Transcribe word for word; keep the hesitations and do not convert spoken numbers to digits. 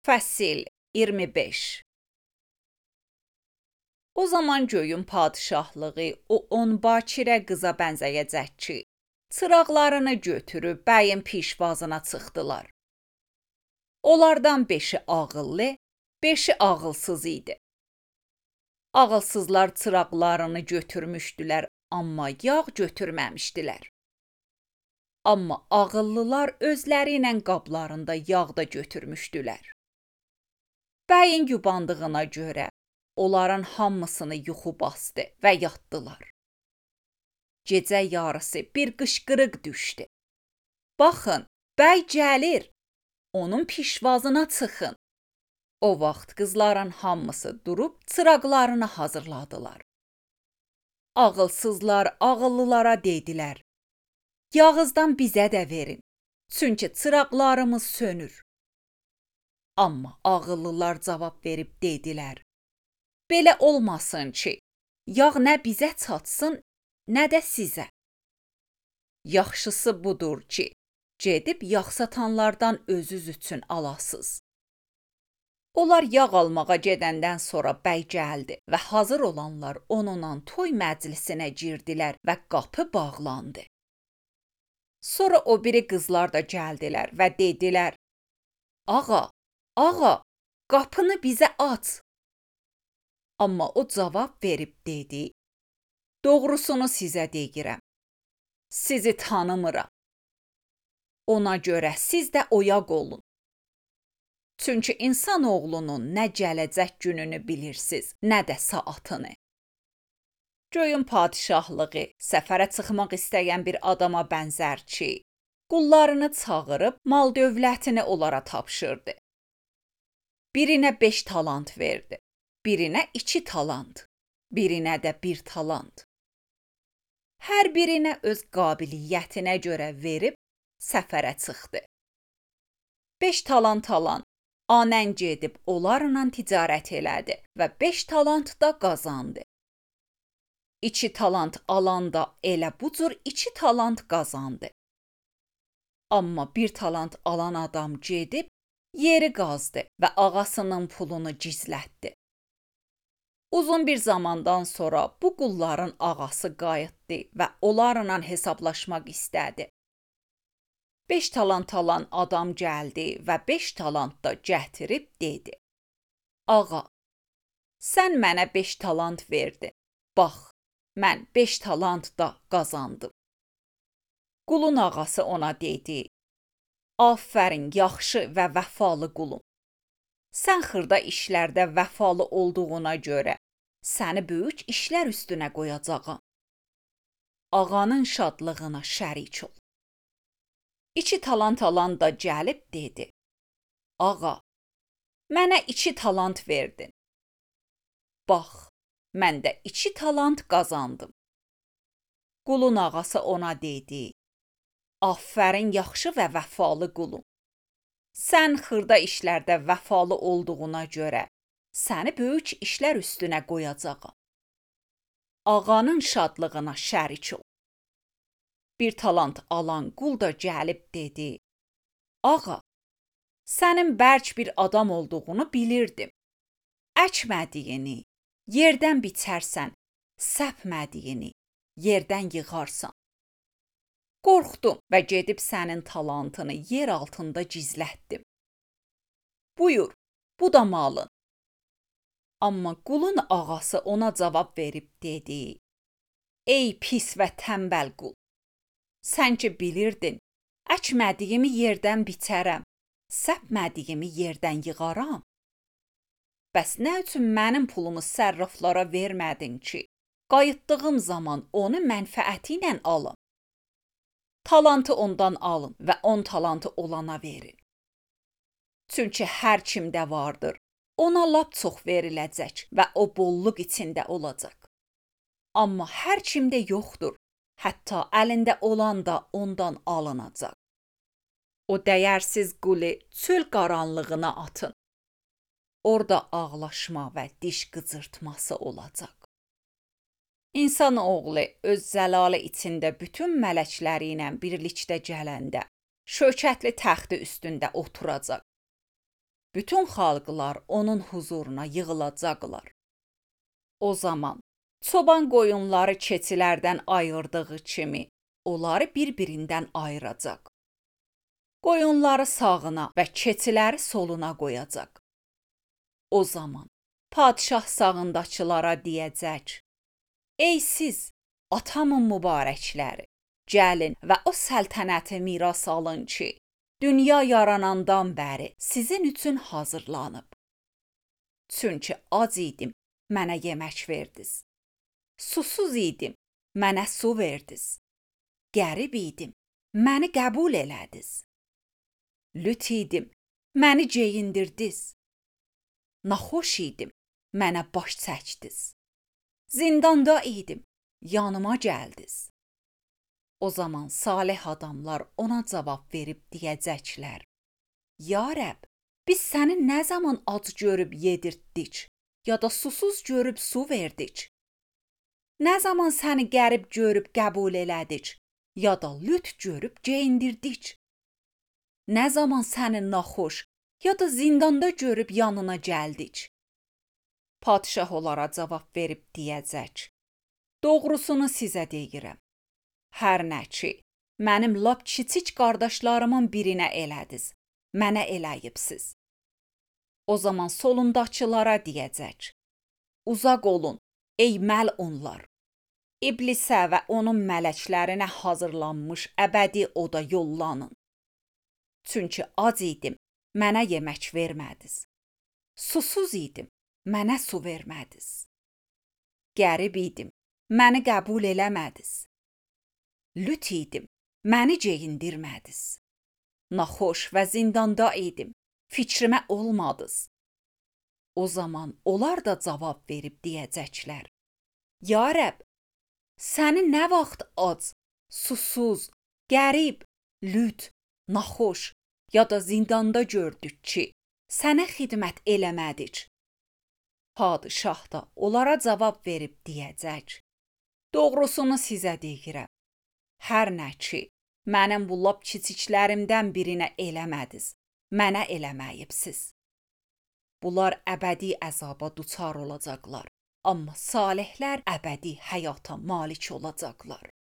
Fəsil iyirmi beş. O zaman göyün padişahlığı o on bakirə qıza bənzəyəcək ki, çıraqlarını götürüb bəyin pişvazına çıxdılar. Onlardan beşi ağıllı, beşi ağılsız idi. Ağılsızlar çıraqlarını götürmüşdülər, amma yağ götürməmişdilər. Amma ağıllılar özləri ilə qablarında yağ da götürmüşdülər. Bəyin yubandığına görə onların hamısını yuxu basdı və yatdılar. Gecə yarısı bir qışqırıq düşdü. Baxın, bəy gəlir, onun pişvazına çıxın. O vaxt qızların hamısı durub çıraqlarını hazırladılar. Ağılsızlar ağıllılara dedilər: "Yağızdan bizə də verin, çünki çıraqlarımız sönür." Amma ağıllılar cavab verib dedilər: "Belə olmasın ki, yağ nə bizə çatsın, nə də sizə. Yaxşısı budur ki, gedib yağ satanlardan özünüz üçün alasız." Onlar yağ almağa gedəndən sonra bəy gəldi və hazır olanlar onunla toy məclisinə girdilər və qapı bağlandı. Sonra o biri qızlar da gəldilər və dedilər: "Ağa, ağa, qapını bizə aç." Amma o cavab verib dedi: "Doğrusunu sizə deyirəm, sizi tanımıram. Ona görə siz də oyaq olun. Çünki insanoğlunun nə gələcək gününü bilirsiniz, nə də saatını." Göyün padişahlığı səfərə çıxmaq istəyən bir adama bənzər ki, qullarını çağırıb mal-dövlətini onlara tapşırdı. Birinə beş talant verdi, birinə iki talant, birinə də bir talant. Hər birinə öz qabiliyyətinə görə verib səfərə çıxdı. Beş talant alan anən gedib onlarla ticarət elədi və beş talant da qazandı. İki talant alan da elə bu cür iki talant qazandı. Amma bir talant alan adam gedib yeri qazdı və ağasının pulunu gizlətdi. Uzun bir zamandan sonra bu qulların ağası qayıtdı və onlarla hesablaşmaq istədi. Beş talant alan adam gəldi və beş talant da gətirib dedi: "Ağa, sən mənə beş talant verdin. Bax, mən beş talant da qazandım." Qulun ağası ona dedi: "Afərin, yaxşı və vəfalı qulum. Sən xırda işlərdə vəfalı olduğuna görə səni böyük işlər üstünə qoyacağam. Ağanın şadlığına şərik ol." İki talant alan da gəlib dedi: "Ağa, mənə iki talant verdin. Bax, mən də iki talant qazandım." Qulun ağası ona dedi: "Afərin, yaxşı və vəfalı qulum. Sən xırda işlərdə vəfalı olduğuna görə səni böyük işlər üstünə qoyacağam. Ağanın şadlığına şərik ol." Bir talant alan qul da gəlib dedi: "Ağa, sənin bərk bir adam olduğunu bilirdim. Əkmədiyini yerdən biçərsən, səpmədiyini yerdən yığarsan. Qorxdum və gedib sənin talantını yer altında gizlətdim. Buyur, bu da malın." Amma qulun ağası ona cavab verib dedi: "Ey pis və tənbəl qul, sən ki bilirdin, əkmədiyimi yerdən biçərəm, səpmədiyimi yerdən yığaram. Bəs nə üçün mənim pulumu sərraflara vermədin ki, qayıtdığım zaman onu mənfəəti ilə alım? Talantı ondan alın və on talantı olana verin. Çünki hər kimdə vardır, ona lap çox veriləcək və o bolluq içində olacaq. Amma hər kimdə yoxdur, hətta əlində olan da ondan alınacaq. O dəyərsiz qulu çöl qaranlığına atın. Orada ağlaşma və diş qıcırtması olacaq." İnsan oğlu öz zəlalı içində bütün mələkləri ilə birlikdə gələndə şökətli təxti üstündə oturacaq. Bütün xalqlar onun huzuruna yığılacaqlar. O zaman çoban qoyunları keçilərdən ayırdığı kimi onları bir-birindən ayıracaq. Qoyunları sağına və keçiləri soluna qoyacaq. O zaman padşah sağındakılara deyəcək: Ey siz, atamın mübarəkləri, gəlin və o səltənəti miras alın ki, dünya yaranandan bəri sizin üçün hazırlanıb. Çünki ac idim, mənə yemək verdiniz. Susuz idim, mənə su verdiniz. Qərib idim, məni qəbul elədiniz. Lüt idim, məni geyindirdiniz. Naxoş idim, mənə baş çəkdiniz. Zindanda idim, yanıma gəldiniz. O zaman salih adamlar ona cavab verib deyəcəklər: Ya Rəbb, biz səni nə zaman ac görüb yedirtdik, ya da susuz görüb su verdik? Nə zaman səni qərib görüb qəbul elədik, ya da lüt görüb geyindirdik? Nə zaman səni naxoş, ya da zindanda görüb yanına gəldik? Padşah onlara cavab verib deyəcək: Doğrusunu sizə deyirəm. Hər nə ki, mənim lap kiçik qardaşlarımın birinə elədiz, mənə eləyibsiz. O zaman solundakılara deyəcək: Uzaq olun, ey məlunlar. İblisə və onun mələklərinə hazırlanmış əbədi oda yollanın. Çünki ac idim, mənə yemək vermədiniz. Susuz idim, mənə su vermədiniz. Qərib idim, məni qəbul eləmədiniz. Lüt idim, məni geyindirmədiniz. Naxoş və zindanda idim, fikrimə olmadınız. O zaman onlar da cavab verib deyəcəklər: Ya Rəbb, səni nə vaxt ac, susuz, qərib, lüt, naxoş ya da zindanda gördük ki, sənə xidmət eləmədik. Padşah da onlara cavab verib deyəcək: Doğrusunu sizə deyirəm. Hər nə ki, mənim bu lap kiçiklərimdən birinə eləmədiz, mənə eləməyibsiz. Bunlar əbədi əzaba duçar olacaqlar, amma salihlər əbədi həyata malik olacaqlar.